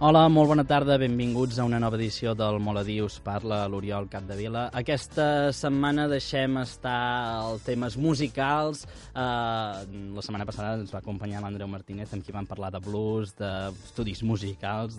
Hola, molt bona tarda, benvinguts a una nova edició del Moladí, us parla l'Oriol Capdevila. Aquesta setmana deixem estar els temes musicals. La setmana passada ens va acompanyar l'Andreu Martínez, amb qui vam parlar de blues, d'estudis musicals,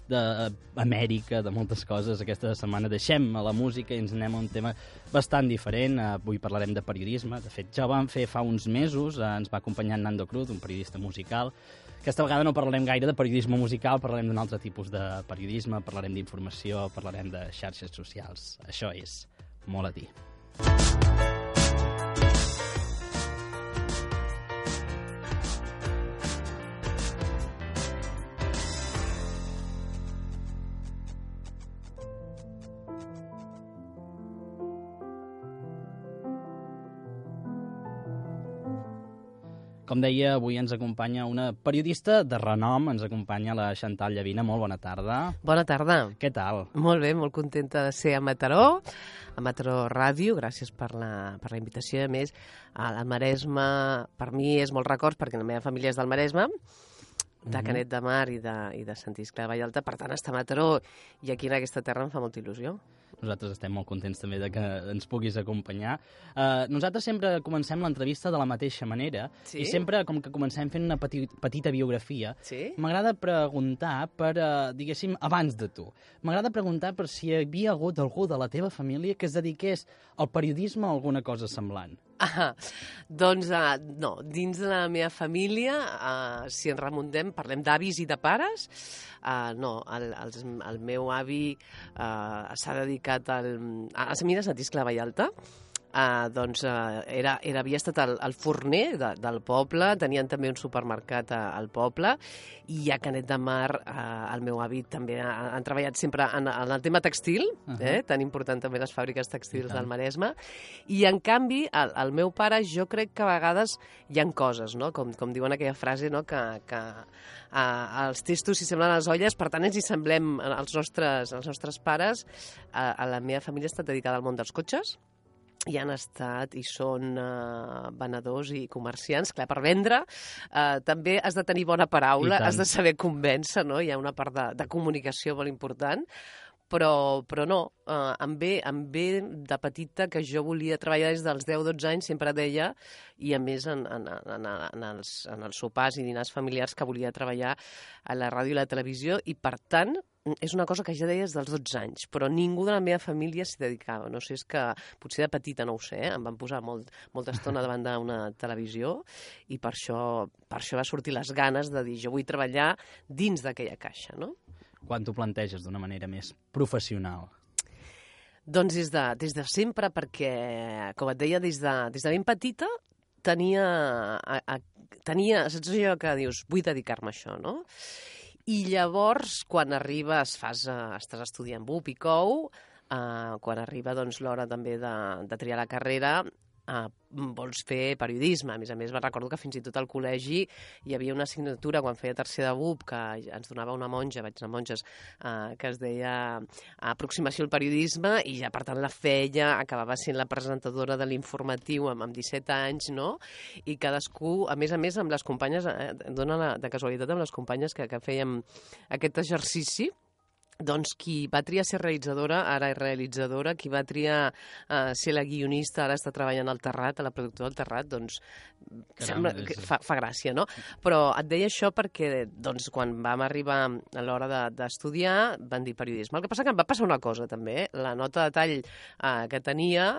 d'Amèrica, de moltes coses. Aquesta setmana deixem la música i ens anem a un tema bastant diferent. Avui parlarem de periodisme. De fet, ja ho vam fer fa uns mesos. Ens va acompanyar Nando Cruz, un periodista musical. Aquesta vegada no parlarem gaire de periodisme musical, parlarem d'un altre tipus de periodisme, parlarem d'informació, parlarem de xarxes socials. Això és Moladí. Com deia, avui ens acompanya una periodista de renom, ens acompanya la Chantal Llavina. Molt bona tarda. Bona tarda. Què tal? Molt bé, molt contenta de ser a Mataró Ràdio, gràcies per la invitació. A més, al Maresme, per mi és molts records, perquè la meva família és del Maresme, de Canet de Mar i de Sant Iscle de Vallalta, per tant, estar a Mataró i aquí en aquesta terra em fa molta il·lusió. Nosaltres estem molt contents també de que ens puguis acompanyar. Nosaltres sempre comencem l'entrevista de la mateixa manera, sí? I sempre, com que comencem fent una petita biografia, sí? M'agrada preguntar per, diguéssim, abans de tu, m'agrada preguntar per si hi havia hagut algú de la teva família que es dediqués al periodisme o alguna cosa semblant. Doncs no, dins de la meva família, si ens remuntem, parlem d'avis i de pares, no, el meu avi s'ha dedicat a les mines a Sant Vallalta. Havia estat el forner del poble, tenien també un supermercat al poble, i a Canet de Mar el meu avi també han treballat sempre en el tema textil, tan important també les fàbriques textils del Maresme, i en canvi el meu pare, jo crec que a vegades hi ha coses, no? Com diuen aquella frase, no? que els testos s'hi semblen a les olles, per tant ens hi semblem als nostres pares. A la meva família ha estat dedicada al món dels cotxes, i han estat i són venedors i comerciants. Clar, per vendre també has de tenir bona paraula, has de saber convèncer, no? Hi ha una part de comunicació molt important, però no, em ve de petita que jo volia treballar des dels 10-12 anys, sempre deia, i a més en els sopars i dinars familiars, que volia treballar a la ràdio i la televisió, i per tant és una cosa que ja deia des dels 12 anys, però ningú de la meva família s'hi dedicava. No sé, és que potser de petita, no ho sé, em van posar molta estona davant d'una televisió i per això va sortir les ganes de dir jo vull treballar dins d'aquella caixa, no? Quan t'ho planteges d'una manera més professional? Doncs des de sempre, perquè, com et deia, des de ben petita tenia, saps allò que dius, vull dedicar-me a això, no? I llavors, quan arribes, estàs estudiant BUP i COU, quan arriba l'hora també de triar la carrera, vols fer periodisme. A més, recordo que fins i tot al col·legi hi havia una assignatura quan feia tercer de BUP que ens donava una monja, vaig anar a monges, que es deia aproximació al periodisme, i ja per tant la feia, acabava sent la presentadora de l'informatiu amb 17 anys, no? I cadascú, a més amb les companyes, dona de casualitat amb les companyes que fèiem aquest exercici, doncs qui va triar ser realitzadora, ara és realitzadora, qui va triar ser la guionista, ara està treballant al Terrat, a la productora del Terrat, doncs sembla que fa gràcia, no? Però et deia això perquè quan vam arribar a l'hora d'estudiar van dir periodisme. El que passa que em va passar una cosa també, la nota de tall que tenia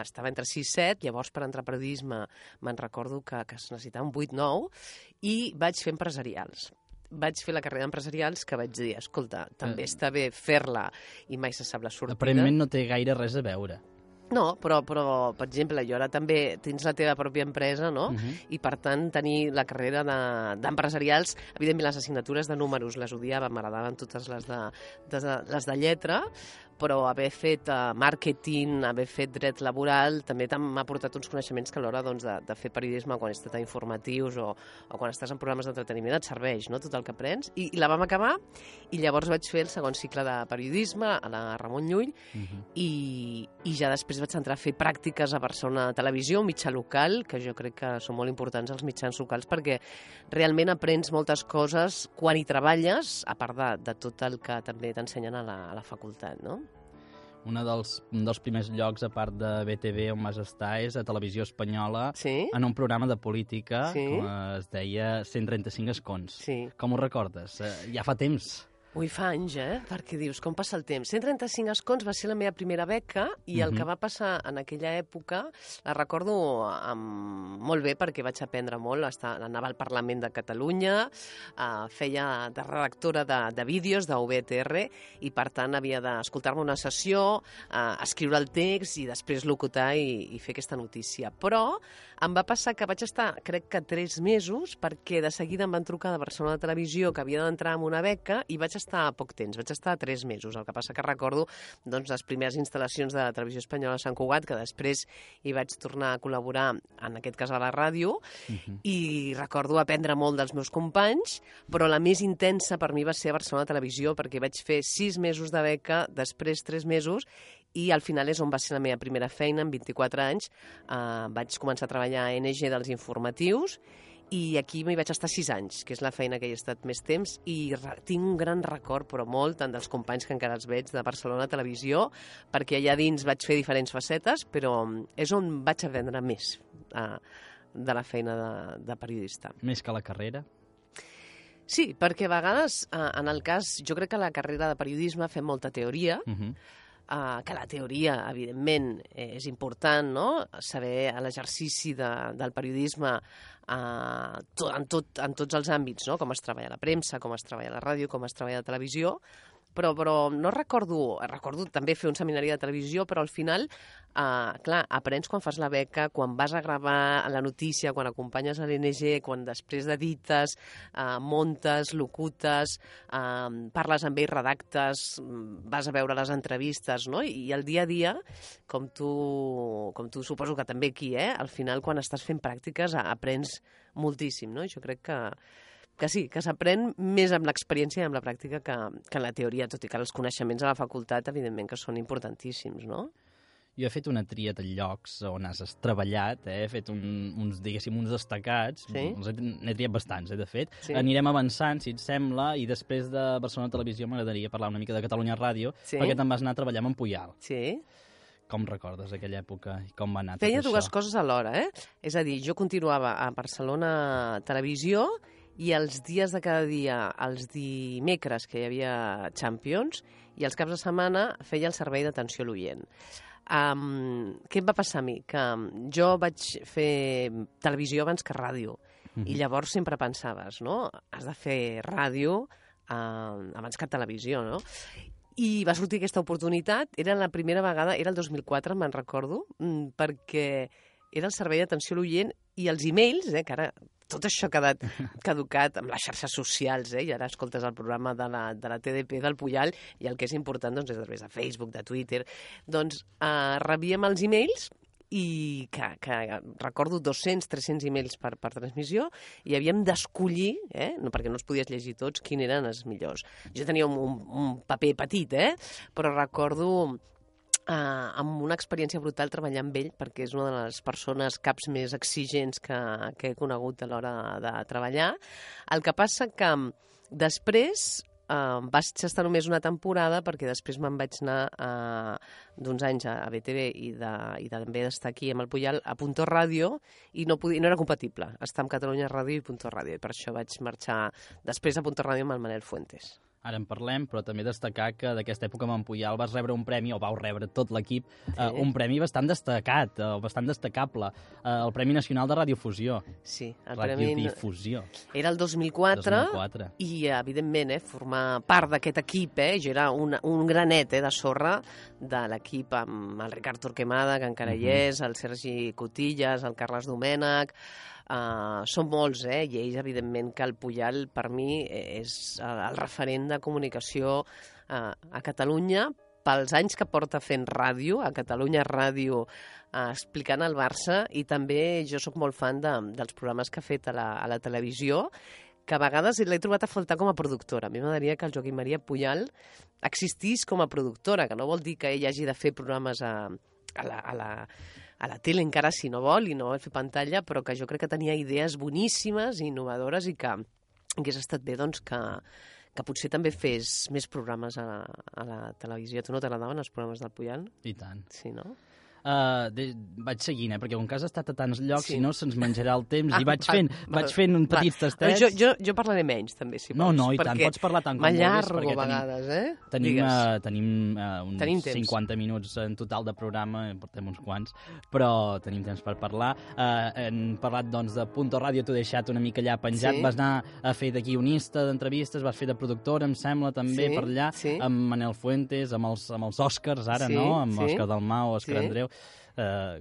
estava entre 6 i 7, llavors per entrar a periodisme me'n recordo que es necessitava un 8-9 i vaig fer empresarials. Vaig fer la carrera d'empresarials, que vaig dir, escolta, també està bé fer-la i mai se sap la sortida. Aparentment no té gaire res a veure. No, però, per exemple, jo ara també tens la teva pròpia empresa, no? I, per tant, tenir la carrera d'empresarials, evidentment les assignatures de números les odiava, m'agradaven totes les de lletra, però haver fet màrqueting, haver fet dret laboral, també m'ha portat uns coneixements que a l'hora doncs, de fer periodisme quan estàs a informatius o quan estàs en programes d'entreteniment et serveix, no?, tot el que aprens. I la vam acabar i llavors vaig fer el segon cicle de periodisme a la Ramon Llull i ja després vaig entrar a fer pràctiques a Barcelona Televisió, un mitjà local, que jo crec que són molt importants els mitjans locals perquè realment aprens moltes coses quan hi treballes, a part de tot el que també t'ensenyen a la facultat, no? Un dels primers llocs, a part de BTV, on vas estar, és a Televisió Espanyola, en un programa de política, com es deia 135 escons. Com ho recordes? Ja fa temps. Ui, fa anys, Perquè dius, com passa el temps? 135 escons va ser la meva primera beca i el que va passar en aquella època la recordo molt bé perquè vaig aprendre molt. Anava al Parlament de Catalunya, feia de redactora de vídeos d'UVTR i, per tant, havia d'escoltar-me una sessió, escriure el text i després locutar i fer aquesta notícia. Però em va passar que vaig estar, crec que 3 mesos, perquè de seguida em van trucar de Barcelona Televisió que havia d'entrar en una beca i vaig estar poc temps, vaig estar 3 mesos. El que passa que recordo doncs, les primeres instal·lacions de Televisió Espanyola a Sant Cugat, que després hi vaig tornar a col·laborar, en aquest cas a la ràdio, i recordo aprendre molt dels meus companys, però la més intensa per mi va ser a Barcelona Televisió, perquè vaig fer 6 mesos de beca, després 3 mesos, i al final és on va ser la meva primera feina, amb 24 anys. Vaig començar a treballar a NG dels informatius, i aquí m'hi vaig estar 6 anys, que és la feina que hi he estat més temps, i tinc un gran record, però molt, tant dels companys que encara els veig de Barcelona Televisió, perquè allà dins vaig fer diferents facetes, però és on vaig aprendre més de la feina de periodista. Més que la carrera? Sí, perquè a vegades, en el cas, jo crec que a la carrera de periodisme fem molta teoria, que la teoria, evidentment, és important, no?, saber l'exercici del periodisme en tots els àmbits, no?, com es treballa a la premsa, com es treballa a la ràdio, com es treballa a la televisió, però no recordo també fer un seminari de televisió, però al final, clar, aprens quan fas la beca, quan vas a gravar la notícia, quan acompanyes a l'NG, quan després d'edites, montes, locutes, parles amb ells, redactes, vas a veure les entrevistes, no? I el dia a dia, com tu suposo que també aquí, al final quan estàs fent pràctiques aprens moltíssim, no? Jo crec que sí, que s'aprèn més amb l'experiència i amb la pràctica que en la teoria, tot i que els coneixements a la facultat, evidentment, que són importantíssims, no? Jo he fet una tria de llocs on has treballat, he fet uns destacats, n'he triat bastants, de fet. Anirem avançant, si et sembla, i després de Barcelona Televisió m'agradaria parlar una mica de Catalunya Ràdio, perquè te'n vas anar a treballar amb en Puyal. Sí. Com recordes aquella època i com va anar tot Feia això? Dues coses alhora, És a dir, jo continuava a Barcelona Televisió i els dies de cada dia, els dimecres que hi havia Champions, i els caps de setmana feia el servei d'atenció a l'oient. Què em va passar a mi? Que jo vaig fer televisió abans que ràdio, i llavors sempre pensaves, no?, has de fer ràdio abans que televisió, no? I va sortir aquesta oportunitat, era la primera vegada, era el 2004, me'n recordo, perquè era el servei d'atenció a l'oient i els e-mails, que ara tot això ha quedat caducat amb les xarxes socials, i ara escoltes el programa de la TDP del Puyal i el que és important doncs, és a través de Facebook, de Twitter. Doncs rebíem els e-mails i que recordo 200-300 e-mails per transmissió i havíem d'escollir, perquè no els podies llegir tots, quins eren els millors. Jo tenia un paper petit, però recordo amb una experiència brutal treballar amb ell, perquè és una de les persones caps més exigents que he conegut a l'hora de treballar. El que passa que després vaig estar només una temporada, perquè després me'n vaig anar d'uns anys a BTV i també d'estar aquí amb el Puyal a Punto Ràdio, i no era compatible estar amb Catalunya Ràdio i Punto Ràdio, i per això vaig marxar després a Punto Ràdio amb el Manel Fuentes. Ara en parlem, però també destacar que d'aquesta època amb en Puyal vas rebre un premi, o vau rebre tot l'equip, un premi bastant destacat, bastant destacable, el Premi Nacional de Radiofusió. Sí, el Radiodifusió. Era el 2004, i evidentment formar part d'aquest equip, jo era un granet de sorra de l'equip amb el Ricard Torquemada, que encara hi és, el Sergi Cotillas, el Carles Domènech. Són molts, i ells, evidentment, que el Puyal, per mi, és el referent de comunicació a Catalunya, pels anys que porta fent ràdio, a Catalunya Ràdio, explicant el Barça, i també jo sóc molt fan dels programes que ha fet a la televisió, que a vegades l'he trobat a faltar com a productora. A mi m'agradaria que el Joaquim Maria Puyal existís com a productora, que no vol dir que ell hagi de fer programes a la tele encara si no vol i no vol fer pantalla, però que jo crec que tenia idees boníssimes i innovadores i que hagués estat bé doncs, que potser també fes més programes a la televisió. A tu no t'agradaven els programes del Puyal? I tant. Sí, no? Vaig seguint, perquè com que has estat a tants llocs, Sí. si no se'ns menjarà el temps, i vaig fent un petits tastets. Jo parlaré menys, també, si No, vols. i tant, pots parlar tant com vulguis. M'allargo a vegades, Tenim Tenim uns temps. 50 minuts en total de programa, en portem uns quants, però tenim temps per parlar. Hem parlat, doncs, de Punto Ràdio, t'ho he deixat una mica allà penjat. Sí. Vas anar a fer de guionista d'entrevistes, vas fer de productora, em sembla, també, Sí, per allà, sí. amb Manel Fuentes, amb els Òscars, ara, Sí, no? Amb sí. Òscar Dalmau, Òscar Sí. Andreu.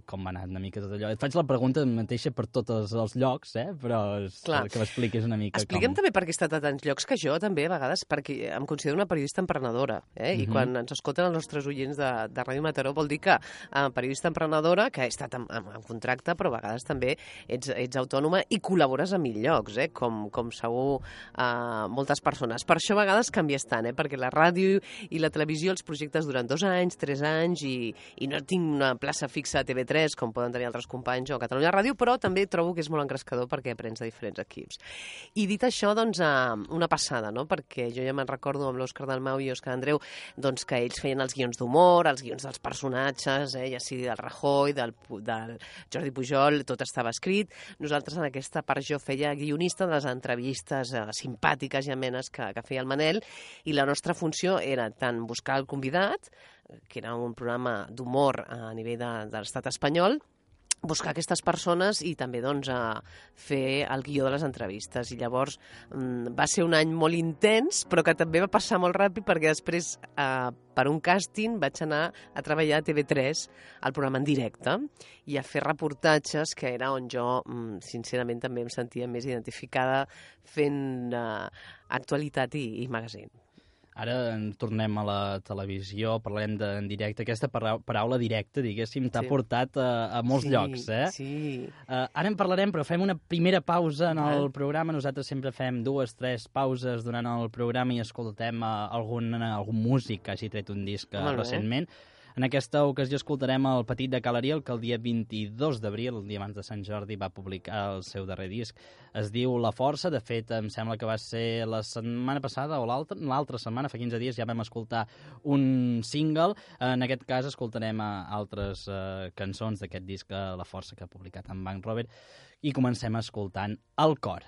Com va anar una mica tot allò. Et faig la pregunta mateixa per tots els llocs, però Clar. que m'expliquis una mica Explica'm com... també per què he estat a tants llocs, que jo també a vegades, perquè em considero una periodista emprenedora, i quan ens escolten els nostres oients de Ràdio Mataró vol dir que periodista emprenedora, que he estat en contracte, però a vegades també ets autònoma i col·labores a 1000 llocs, com segur moltes persones. Per això a vegades canvies tant, perquè la ràdio i la televisió, els projectes duren 2 anys, 3 anys, i no tinc una plaça fixa a TV3, com poden tenir altres companys, o a Catalunya Ràdio, però també trobo que és molt engrescador perquè aprens de diferents equips. I dit això, doncs, una passada, no? Perquè jo ja me'n recordo amb l'Òscar Dalmau i Òscar Andreu, doncs, que ells feien els guions d'humor, els guions dels personatges, ja sigui del Rajoy, del Jordi Pujol, tot estava escrit. Nosaltres, en aquesta part, jo feia guionista de les entrevistes simpàtiques i amenes que feia el Manel, i la nostra funció era tant buscar el convidat, que era un programa d'humor a nivell de l'estat espanyol, buscar aquestes persones i també doncs, fer el guió de les entrevistes. I llavors va ser un any molt intens, però que també va passar molt ràpid perquè després, per un càsting, vaig anar a treballar a TV3, al programa en directe, i a fer reportatges, que era on jo, sincerament, també em sentia més identificada fent actualitat i magazine. Ara tornem a la televisió, parlem en directe. Aquesta paraula directa, diguéssim, t'ha portat a molts llocs, Sí. Ara en parlarem, però fem una primera pausa en el programa. Nosaltres sempre fem 2 o 3 pauses durant el programa i escoltem algun músic que hagi tret un disc recentment. En aquesta ocasió escoltarem el Petit de Ca l'Ariel, que el dia 22 d'abril, el dia abans de Sant Jordi, va publicar el seu darrer disc. Es diu La Força. De fet, em sembla que va ser la setmana passada o l'altra setmana, fa 15 dies, ja vam escoltar un single. En aquest cas escoltarem altres cançons d'aquest disc La Força, que ha publicat en Bank Robert, i comencem escoltant El Cor.